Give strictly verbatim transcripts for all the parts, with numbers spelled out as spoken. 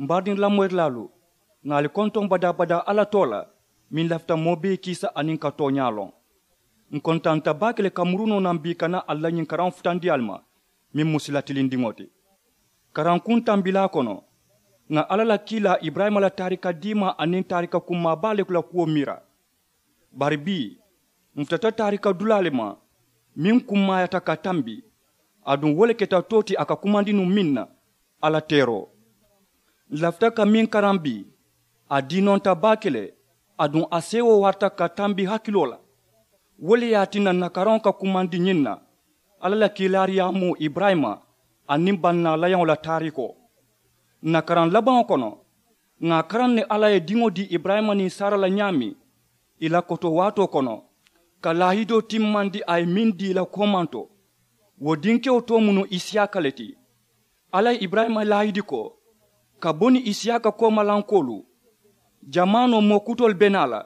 M baadiŋ lamoyirilaalu, ŋà ali kontoŋ badaa-badaa alla too la, meŋ lafita moo bee kiisa aniŋ ka tooñaa loŋ. Ǹ kontanta baake le ka muru noo naŋ bii ka naa ali la ñiŋ karaŋo futandi ali ma, meŋ mu sila tilindiŋo ti. Karankuŋ tambilaa kono, ŋà alla la kiilaa iburayima la taarika diimaa aniŋ taarika kummaa baa le la kuwo miira. Bari bii, ǹ futata taarika dulaa le ma, meŋ kummaayata ka tambi. Aduŋ wo le keta too ti a ka kumandi nuŋ meŋ na, alla teeroo. Ǹ lafita ka meŋ karaŋ bii, a diinonta baake le. Aduŋ a seewoo warata ka tambi hakiloo la. Wo le ye a tinna ǹ na karaŋo ka kumandi ñiŋ na, alla la kiilaariyaamoo iburayima aniŋ bannaa layaŋo la taariikoo. Ǹ na karaŋ labaŋo kono, ŋà a karaŋ ne alla ye diŋo dii iburayima niŋ saara la ñaameŋ, ì la koto waatoo kono, ka laahidoo timmandi a ye meŋ dii ì la koomanto. Wo dinkewo too mu nuŋ isiyaaka le ti. Alla ye iburayima laahidi ko, ka bo niŋ isiyaaka koomalankoolu, jamaanoo moo kutoolu be naa la,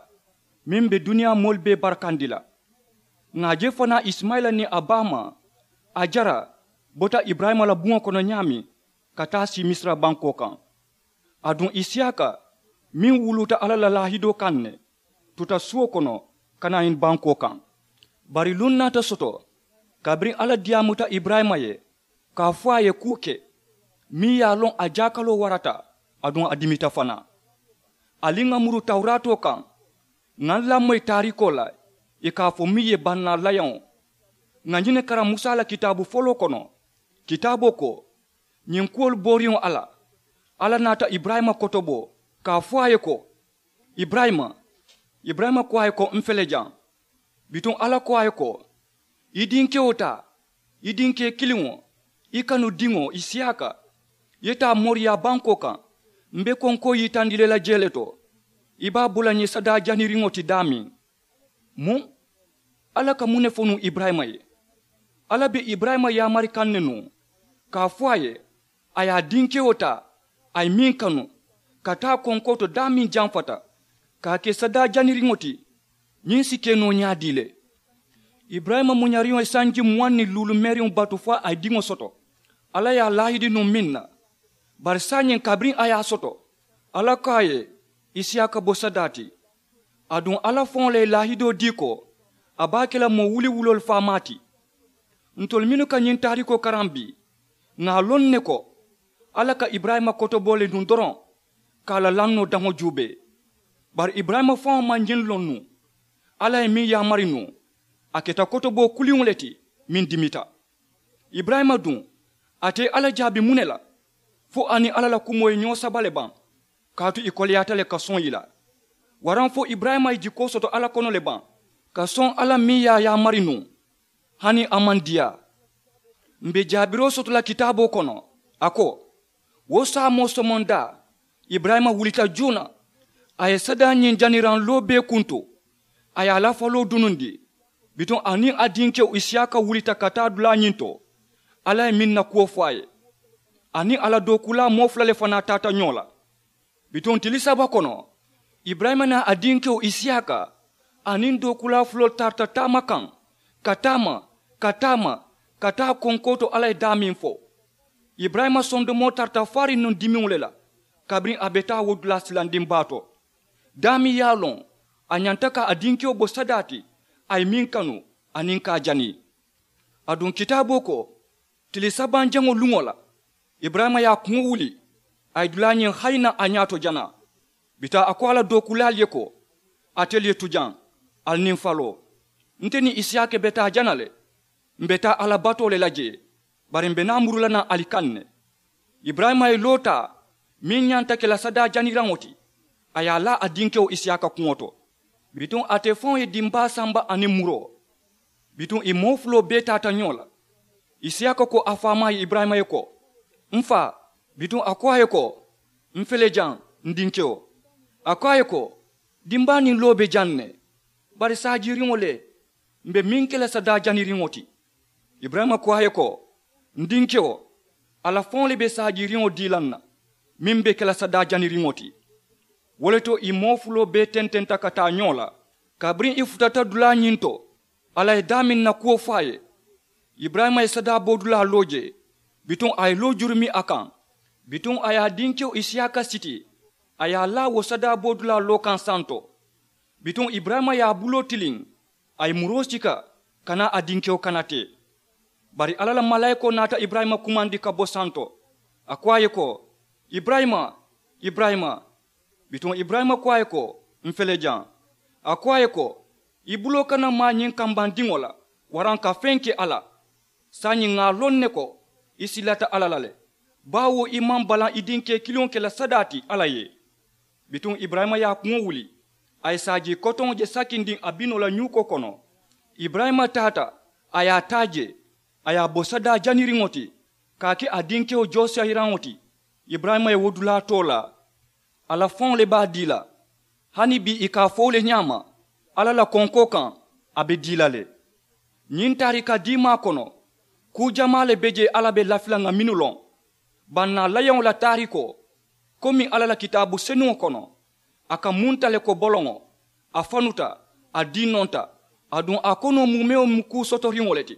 meŋ be duniyaa moolu bee barakandi la. Ŋà a je fanaa isimayila niŋ a baamaa, a jara bota iburayima la buŋo kono ñaameŋ, ka taa sii misira bankoo kaŋ. Aduŋ isiyaaka, meŋ wuluuta alla la laahidoo kaŋ ne, tuta suo kono, ka naa ñiŋ bankoo kaŋ. Bari luŋ naata soto, kabiriŋ alla diyaamuta iburayima ye, ka a fo a ye kuu ke, meŋ ye a loŋ a jaakaloo warata, aduŋ a dimita fanaa. Ali ŋà muru tawuraatoo kaŋ, ŋà ǹ lamoyi taariikoo la, ì ka a fo meŋ ye bannaa layaŋo. Ŋà ñiŋ ne karaŋ musa la kitaabu foloo kono. Kitaaboo ko, ñiŋ kuwolu booriŋo alla, alla naata iburayima kotobo, ka a fo a ye ko, iburayima. Iburayima ko a ye ko, m fele jaŋ. Bituŋ alla ko a ye ko, i dinkewo taa, i dinkee kiliŋo, i kanu diŋo isiyaaka, i ye taa moriyaa bankoo kaŋ. M be konkoo yitandi la i la jee le to. I be a bo la ñiŋ sadaa janiriŋo ti daameŋ. Muŋ? Alla ka muŋ ne fo nuŋ iburayima ye? Alla be iburayima yaamari kaŋ ne nuŋ, ka a fo a ye, a ye a dinkewo taa, a ye meŋ kanu, ka taa konkoo to daameŋ jamfata, ka a ke sadaa janiriŋo ti, ñiŋ si ke noo ñaadii le? Iburayima muñariŋo ye sanji muwaŋ niŋ luulu meeriŋo batu fo a ye diŋo soto. Alla ye a laahidi nuŋ meŋ na, bari saayiŋ kabiriŋ a ye a soto, alla ko a ye, isiyaaka bo sadaa ti. Aduŋ alla faŋo le ye laahidoo dii ko, a be a ke la moo wuliwuloolu faamaa ti. Ntolu mennu ka ñiŋ taariikoo karaŋ bii, ŋà a loŋ ne ko, alla ka iburayima kotoboo le nuŋ doroŋ, ka a la lannoo daŋo juubee. Bari iburayima faŋo maŋ ñiŋ loŋ nuŋ, alla ye meŋ yaamari nuŋ, a keta kotoboo kuliŋo le ti, meŋ dimita. Iburayima duŋ, ate ye alla jaabi muŋ ne la? Fo a niŋ alla la kumoo ye ñoo saba le baŋ? Kaatu ì koleyaata le ka soŋ ì la. Waraŋ fo iburayima ye jikoo soto alla kono le baŋ, ka soŋ alla meŋ ye a yaamari nuŋ? Hani a maŋ diyaa. M be jaabiroo soto la kitaaboo kono, a ko, wo saamoo somondaa, iburayima wulita juuna, a ye sadaa ñiŋ janiraŋ loobee kuntu, a ye a la faloo dunundi. Bituŋ a niŋ a dinkewo isiyaaka wulita ka taa dulaa ñiŋ to, alla ye meŋ na kuwo fo a ye. A niŋ a la dookuulaa moo fula le fanaa taata ñoo la. Bituŋ tili saba kono, iburayima niŋ a dinkewo isiyaaka aniŋ dookuulaa fuloolu tarata taama kaŋ, ka taama, ka taama, ka taa konkoo to alla ye daameŋ fo. Iburayima sondomoo tarata faariŋ nuŋ dimiŋo le la, kabiriŋ a be taa wo dulaa silandiŋ baa to. Daameŋ ye a loŋ, a ñanta ka a dinkewo bo sadaa ti, a ye meŋ kanu, aniŋ ka a jani. Aduŋ kitaaboo ko, tili sabanjaŋo luŋo la, iburayima ye a kuŋo wuli, a ye dulaa ñiŋ hayi naŋ a ñaato janaa. Bituŋ a ko a la dookuulaalu ye ko, atelu ye tu jaŋ, ali niŋ faloo. Nte niŋ isiyaaka be taa jana le. M be taa alla batoo le la jee, bari m be naa muru la naŋ ali kaŋ ne. Iburayima ye loo taa, meŋ ñanta ke la sadaa janiraŋo ti, a ye a laa a dinkewo isiyaaka kuŋo to. Bituŋ ate faŋo ye dimbaa samba aniŋ muroo. Bituŋ ì moo fuloo bee taata ñoo la. Isiyaaka ko a faamaa ye iburayima ye ko, m faa. Bituŋ a ko a ye ko, m fele jaŋ, n dinkewo. A ko a ye ko, dimbaa niŋ loo be jaŋ ne, bari saajiiriŋo le, m be meŋ ke la sadaa janiriŋo ti. Iburayima ko a ye ko, n dinkewo, alla faŋo le be saajiiriŋo dii la n na, meŋ be ke la sadaa janiriŋo ti. Wo le to ì moo fuloo bee tententa ka taa ñoo la, kabiriŋ ì futata dulaa ñiŋ to, alla ye daameŋ na kuwo fo a ye. Iburayima ye sadaa boodulaa loo jee, bituŋ a ye loo jurumi a kaŋ. Bituŋ a ye a dinkewo isiyaaka siti, a ye a laa wo sadaa boodulaa loo kaŋ santo. Bituŋ iburayima ye a buloo tiliŋ, a ye muroo sika, ka naa a dinkewo kana tee. Bari alla la malaayikoo naata iburayima kumandi ka bo santo. A ko a ye ko, iburayima, iburayima. Bituŋ iburayima ko a ye ko, n fele jaŋ. A ko a ye ko, i buloo kana maa ñiŋ kambandiŋo la, waraŋ ka feŋ ke a la. Saayiŋ ŋà a loŋ ne ko, i silata alla la le, baawo i maŋ balaŋ i dinkee kiliŋo ke la sadaa ti alla ye. Bituŋ iburayima ye a kuŋo wuli, a ye saajii kotoŋo je sakindiŋ a binoo la ñuukoo kono. Iburayima taata, a ye a taa jee, a ye a bo sadaa janiriŋo ti, ka a ke a dinkewo joosiyayiraŋo ti. Iburayima ye wo dulaa too laa. A la faŋo le be a dii la. Hani bii i ka a fo wo le ñaama, alla la konkoo kaŋ, a be dii la le. Ñiŋ taarika diimaa kono, kuu jamaa le be jee alla be lafi la ŋà mennu loŋ. Bannaa layaŋo la taarikoo, komi alla la kitaabu senuŋo kono, a ka munta le ko boloŋo, a fanuta, a diinonta, aduŋ a konoo muumewo mu kuu sotoriŋo le ti.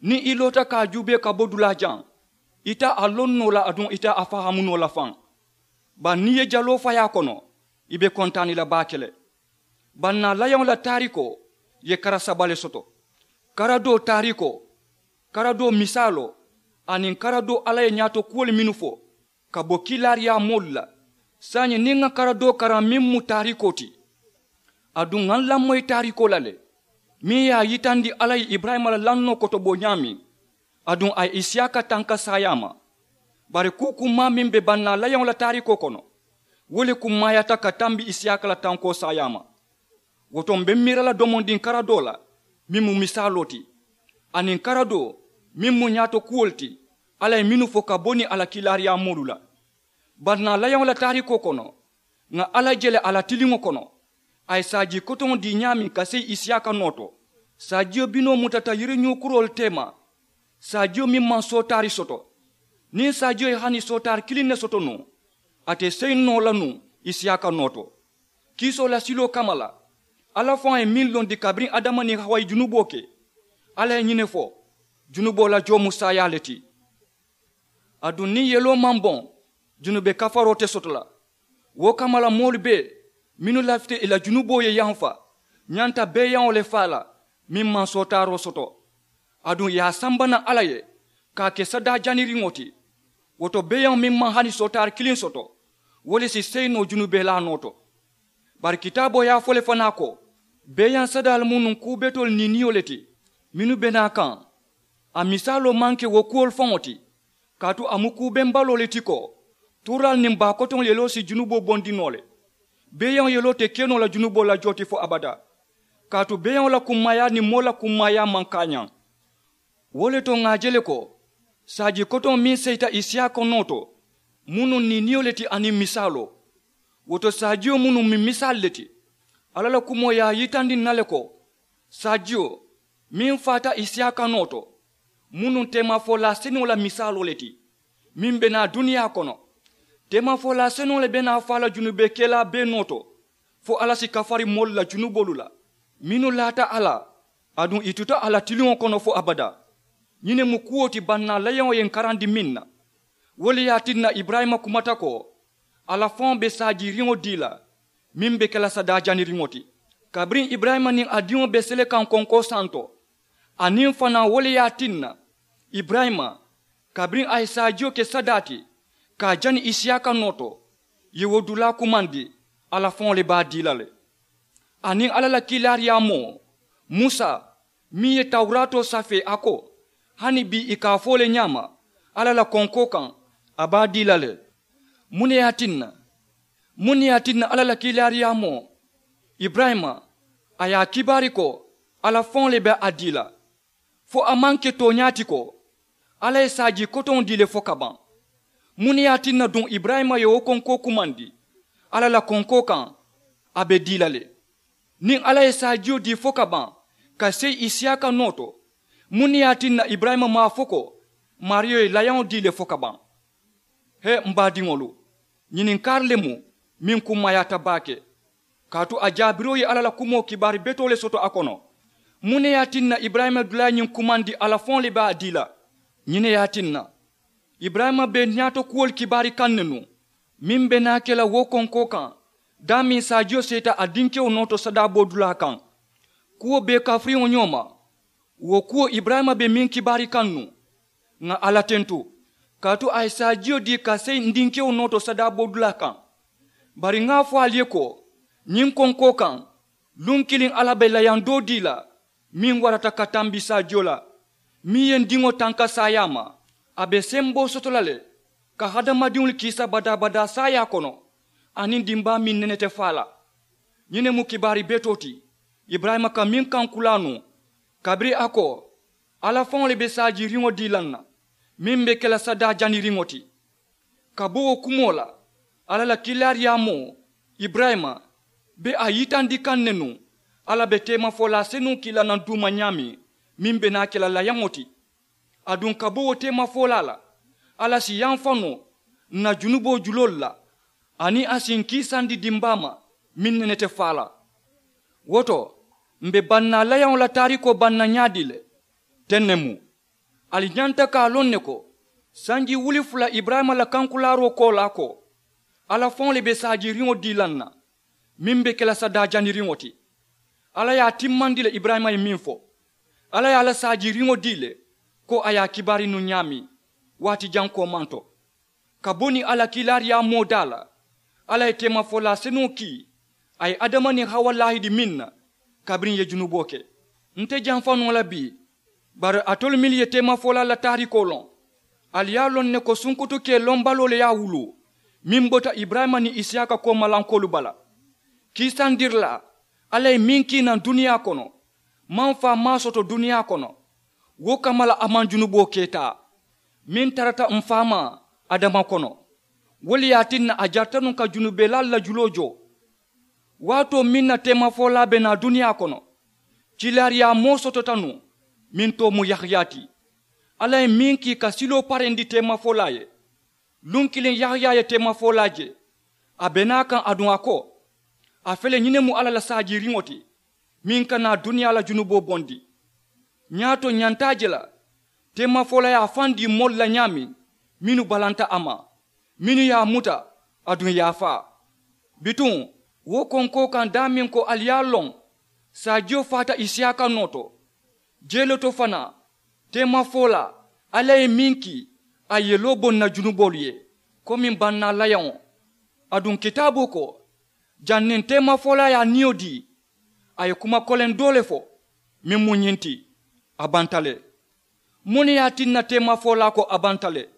Niŋ i loota ka a juubee ka bo dulaa jaŋ, ite a loŋ noo la aduŋ ite a fahaamu noo la faŋ. Bari niŋ i ye jaloo fayi a kono, i be kontaani la baake le. Bannaa layaŋo la taarikoo ye kara saba le soto. Kara doo taarikoo, kara doo misaaloo, aniŋ kara doo alla ye ñaato kuwolu mennu fo, ka bo kiilaariyaa moolu la. Saayiŋ niŋ ŋa kara doo karaŋ meŋ mu taarikoo ti, aduŋ ŋa n lamoyi taarikoo la le, meŋ ye a yitandi alla ye iburayima la lannoo kotoboo ñaameŋ, aduŋ a ye isiyaaka tanka saayaa ma. Bari kuu kummaa meŋ be bannaa layaŋo la taarikoo kono, wo le kummaayaata ka tambi isiyaaka la tankoo saayaa ma. Wo to m̀ be miira la domondiŋ kara doo la, meŋ mu misaaloo ti, aniŋ kara doo meŋ mu ñaato kuwolu ti, alla ye mennu fo ka bo niŋ a la kiilaariyaa moolu la. Bannaa layaŋo la taarikoo kono, ŋà alla je le a la tiliŋo kono, a ye saajii kotoŋo dii ñaameŋ ka seyi isiyaaka noo to. Saajiyo binoo mutata yiriñuukuroolu teema, saajiyo meŋ maŋ sootaari soto. Niŋ saajiyo ye hani sootaari kiliŋ ne soto nuŋ, a te seyi noo la nuŋ isiyaaka noo to. Kiisoo la siloo kamma la, alla faŋo ye meŋ londi kabiriŋ adama niŋ hawa ye junuboo ke, alla ye ñiŋ ne fo, junuboo la joo mu saayaa le ti. Aduŋ niŋ yeloo maŋ boŋ, junube kafaroo te soto la. Wo kamma la moolu bee mennu lafita ì la junuboo ye yamfa, ñanta beeyaŋo le faa la meŋ maŋ sootaaroo soto. Aduŋ ì ye a samba naŋ alla ye, ka a ke sadaa janiriŋo ti. Wo to beeyaŋo meŋ maŋ hani sootaari kiliŋ soto, wo le si seyi noo junubelaa noo to. Bari kitaaboo ye a fo le fanaa ko, beeyaŋ sadaalu mu nuŋ kuu betoolu niiniyo le ti, mennu be naa kaŋ. A misaaloo maŋ ke wo kuwolu faŋo ti, kaatu a mu kuu bembaloo le ti ko, tuuraalu niŋ baa kotoŋolu yeloo si junuboo bondi noo le. Beeyaŋo yeloo te ke noo la junuboo la joo ti fo abadaa, kaatu beeyaŋo la kummaayaa niŋ moo la kummaayaa maŋ kaañaŋ. Wo le to ŋà a je le ko, saajii kotoŋo meŋ seyita isiyaaka noo to, mu nuŋ niiniyo le ti aniŋ misaaloo. Wo to saajiyo mu nuŋ miŋ misaalu le ti. Alla la kumoo ye a yitandi ǹ na le ko, saajiyo meŋ faata isiyaaka noo to, mu nuŋ teemafolaa senuŋo la misaaloo le ti, meŋ be naa duniyaa kono. Teemafolaa senuŋo le be naa faa la junube kelaa bee noo to, fo alla si kafari moolu la junuboolu la, mennu laata a la, aduŋ ì tuta a la tiliŋo kono fo abadaa. Ñiŋ ne mu kuwo ti bannaa layaŋo ye ǹ karandi meŋ na. Wo le ye a tinna iburayima kumata ko, alla faŋo be saajiiriŋo dii la, meŋ be ke la sadaa janiriŋo ti. Kabiriŋ iburayima niŋ a diŋo be sele kaŋ konkoo santo, aniŋ fanaa wo le ye a tinna iburayima, kabiriŋ a ye saajiyo ke sadaa ti, ka a jani isiyaaka noo to, ì ye wo dulaa kumandi, alla faŋo le be a dii la le. Aniŋ alla la kiilaariyaamoo, musa, meŋ ye tawuraatoo safee a ko, hani bii ì ka a fo le ñaama, alla la konkoo kaŋ, a be a dii la le. Muŋ ne ye a tinna? Muŋ ne ye a tinna alla la kiilaariyaamoo, iburayima, a ye a kibaari ko, alla faŋo le be a dii la? Fo a maŋ ke tooñaa ti ko, alla ye saajii kotoŋo dii le fo ka baŋ? Muŋ ne ye a tinna duŋ iburayima ye wo konkoo kumandi, alla la konkoo kaŋ, a be dii la le? Niŋ alla ye saajiyo dii fo ka baŋ, ka seyi isiyaaka noo to, muŋ ne ye a tinna iburayima maŋ a fo ko, maariyo ye layaŋo dii le fo ka baŋ? He, m baadiŋolu, ñininkaari le mu meŋ kummaayaata baake. Kaatu a jaabiroo ye alla la kumoo kibaari betoo le soto a kono. Muŋ ne ye a tinna iburayima dulaa ye ñiŋ kumandi, alla faŋo le be a dii la? Ñiŋ ne ye a tinna Iburayima be ñaato kuwolu kibaari kaŋ ne nuŋ, meŋ be naa ke la wo konkoo kaŋ daameŋ saajiyo seeta a dinkewo noo to sadaaboo dulaa kaŋ. Kuwo bee kafiriŋo ñoo ma. Wo kuwo iburayima be meŋ kibaari kaŋ nuŋ, ŋà alla tentu kaatu a ye saajiyo dii ka seyi n dinkewo noo to sadaaboo dulaa kaŋ. Bari ŋà a fo ali ye ko, ñiŋ konkoo kaŋ luŋ kiliŋ alla be layaŋ doo dii la meŋ warata ka tambi saajiyo la, meŋ ye n diŋo tanka saayaa ma. A be semboo soto la le ka hadamadiŋolu kiisa badaa-badaa saayaa kono, aniŋ dimbaa meŋ nene te faa la. Ñiŋ ne mu kibaari betoo ti iburayima ka meŋ kaŋ kulaa nuŋ, kabiriŋ a ko, alla faŋo le be saajiiriŋo dii la n na, meŋ be ke la sadaa janiriŋo ti. Ka bo wo kumoo la, alla la kiilaariyaamoo iburayima be a yitandi kaŋ ne nuŋ, alla be teemafolaa senuŋ kii la naŋ duuma ñaameŋ, meŋ be naa ke la layaŋo ti. Aduŋ ka bo wo teemafolaa la, alla si yamfa noo n na junuboo juloolu la, aniŋ a si n kiisandi dimbaa ma meŋ nene te faa la. Wo to, m̀ be bannaa layaŋo la taariikoo banna ñaadii le? Teŋ ne mu. Ali ñanta ka a loŋ ne ko, sanji wuli fula iburayima la kankulaaroo koolaa ko, alla faŋo le be saajiiriŋo dii la n na, meŋ be ke la sadaa janiriŋo ti. Alla ye a timmandi le iburayima ye meŋ fo, alla ye a la saajiiriŋo dii le, ko a ye a kibaari nuŋ ñaameŋ waati jaŋ koomanto. Ka bo niŋ a la kiilaariyaamoo daa la, alla ye teemafolaa senuŋo kii a ye adama niŋ hawa laahidi meŋ na, kabiriŋ ì ye junuboo ke. Nte jamfa noo la bii, bari alitolu mennu ye teemafolaa la taariikoo loŋ, ali ye a loŋ ne ko sunkutukee lombaloo le ye a wuluu, meŋ bota iburayima niŋ isiyaaka koomalankoolu bala. Kiisandirilaa alla ye meŋ kii naŋ duniyaa kono, maŋ faa maŋ a soto duniyaa kono, wo kamma la a maŋ junuboo ke taa, meŋ tarata m̀ faamaa adama kono. Wo le ye a tinna a jarita nuŋ ka junubelaalu la juloo joo. Waatoo meŋ na teemafolaa be naa duniyaa kono, kiilaariyaamoo sotota nuŋ, meŋ too mu yahaya ti. Alla ye meŋ kii ka siloo parendi teemafolaa ye, luŋ kiliŋ yahaya ye teemafolaa je. A be naa kaŋ aduŋ a ko, a fele ñiŋ ne mu alla la saajiiriŋo ti, meŋ ka naa duniyaa la junuboo bondi. Ñaato ñanta a je la, teemafolaa ye a faŋ dii moolu la ñaameŋ, mennu balanta a ma, mennu ye a muta, aduŋ ì ye a faa. Bituŋ, wo konkoo kaŋ daameŋ ko ali ye a loŋ, saajiyo faata isiyaaka noo to. Jee le to fanaa, teemafolaa alla ye meŋ kii, a ye loo bo n na junuboolu ye, komiŋ bannaa layaŋo. Aduŋ kitaaboo ko, janniŋ teemafolaa ye a niyo dii, a ye kuma koleŋ doo le fo, meŋ mu ñiŋ ti, a banta le. Muŋ ne ye a tinna teemafolaa ko a banta le?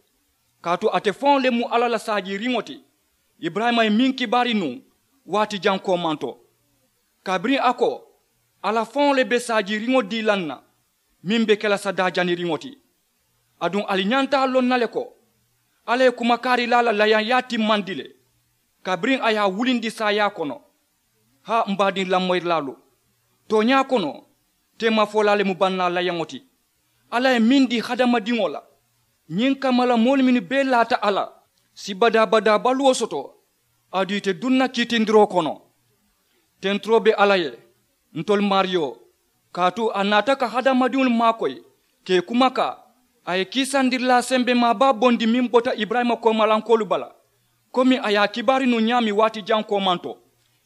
Kaatu ate faŋo le mu alla la saajiiriŋo ti. Iburayima ye meŋ kibaari nuŋ, waati jaŋ koomanto, kabiriŋ a ko, alla faŋo le be saajiiriŋo dii la n na, meŋ be ke la sadaa janiriŋo ti. Aduŋ ali ñanta a loŋ na le ko, alla ye kumakaarilaa la layaŋyaa timmandi le, kabiriŋ a ye a wulindi saayaa kono. Haa m baadiŋ lamoyirilaalu, tooñaa kono, teemafolaa le mu bannaa layaŋo ti. Alla ye meŋ dii hadamadiŋo la, ñiŋ kamma la moolu mennu bee laata a la, si badaa-badaa baluwo soto, aduŋ ì te duŋ na kiitindiroo kono. Tenturoo be alla ye, ntolu maariyo, kaatu a naata ka hadamadiŋolu maakoyi, ka ì kumakaa. A ye kiisandirilaa sembemaa baa bondi meŋ bota iburayima koomalankoolu bala, komi a ye a kibaari nuŋ ñaameŋ waati jaŋ koomanto.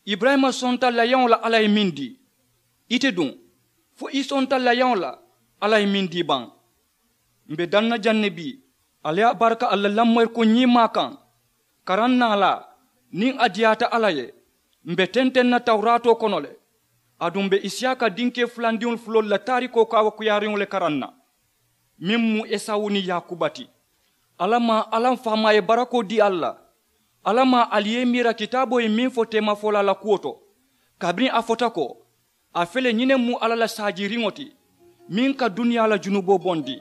Iburayima sonta layaŋo la alla ye meŋ dii. Ite duŋ, fo i sonta layaŋo la alla ye meŋ dii baŋ? M be daŋ na jaŋ ne bii, ali ye a baraka ali la lamoyirikuŋ ñiimaa kaŋ. Karaŋ naalaa, niŋ a diyaata alla ye, m be tenteŋ na tawuraatoo kono le. Aduŋ m be isiyaaka dinkee fulandiŋolu fuloolu la taarikoo kaawakuyaariŋo le karaŋ na, meŋ mu esawu niŋ yaakuba ti. Alla maŋ alla m faamaa ye barakoo dii ali la? Alla maŋ ali ye i miira kitaaboo ye meŋ fo teemafolaa la kuwo to, kabiriŋ a fota ko, a fele ñiŋ ne mu alla la saajiiriŋo ti, meŋ ka duniyaa la junuboo bondi.